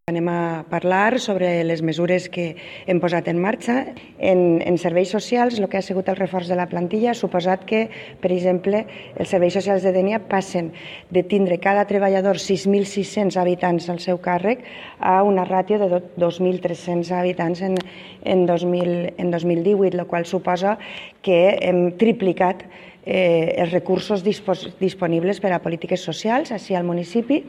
Anem a parlar sobre les mesures que hem posat en marxa. En serveis socials, el que ha sigut el reforç de la plantilla ha suposat que, per exemple, els serveis socials de Dénia passen de tindre cada treballador 6.600 habitants al seu càrrec a una ràtio de 2.300 habitants en 2018, el qual suposa que hem triplicat els recursos disponibles per a polítiques socials així al municipi.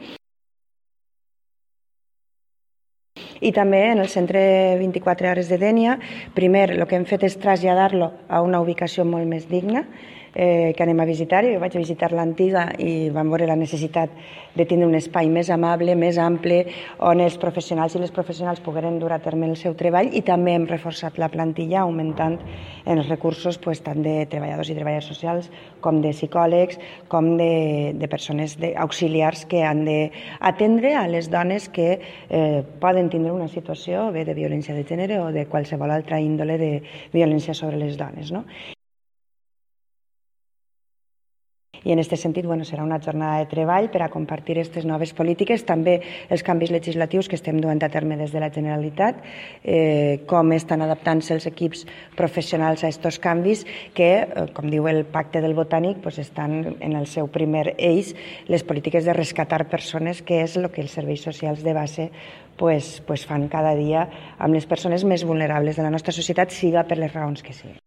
I també en el centre 24 hores de Dénia, primer el que hem fet és traslladar-lo a una ubicació molt més digna, que anem a visitar. Jo vaig a visitar l'antiga i vam veure la necessitat de tenir un espai més amable, més ample, on els professionals i les professionals pogueren dur a terme el seu treball, i també hem reforçat la plantilla augmentant els recursos tant de treballadors i treballadores socials com de psicòlegs, com de persones auxiliars que han d'atendre a les dones que poden tindre una situació bé de violència de gènere o de qualsevol altra índole de violència sobre les dones, no? I en aquest sentit serà una jornada de treball per a compartir aquestes noves polítiques, també els canvis legislatius que estem duent a terme des de la Generalitat, com estan adaptant-se els equips professionals a aquests canvis que, com diu el Pacte del Botànic, estan en el seu primer eix les polítiques de rescatar persones, que és el que els serveis socials de base fan cada dia amb les persones més vulnerables de la nostra societat, siga per les raons que siguin.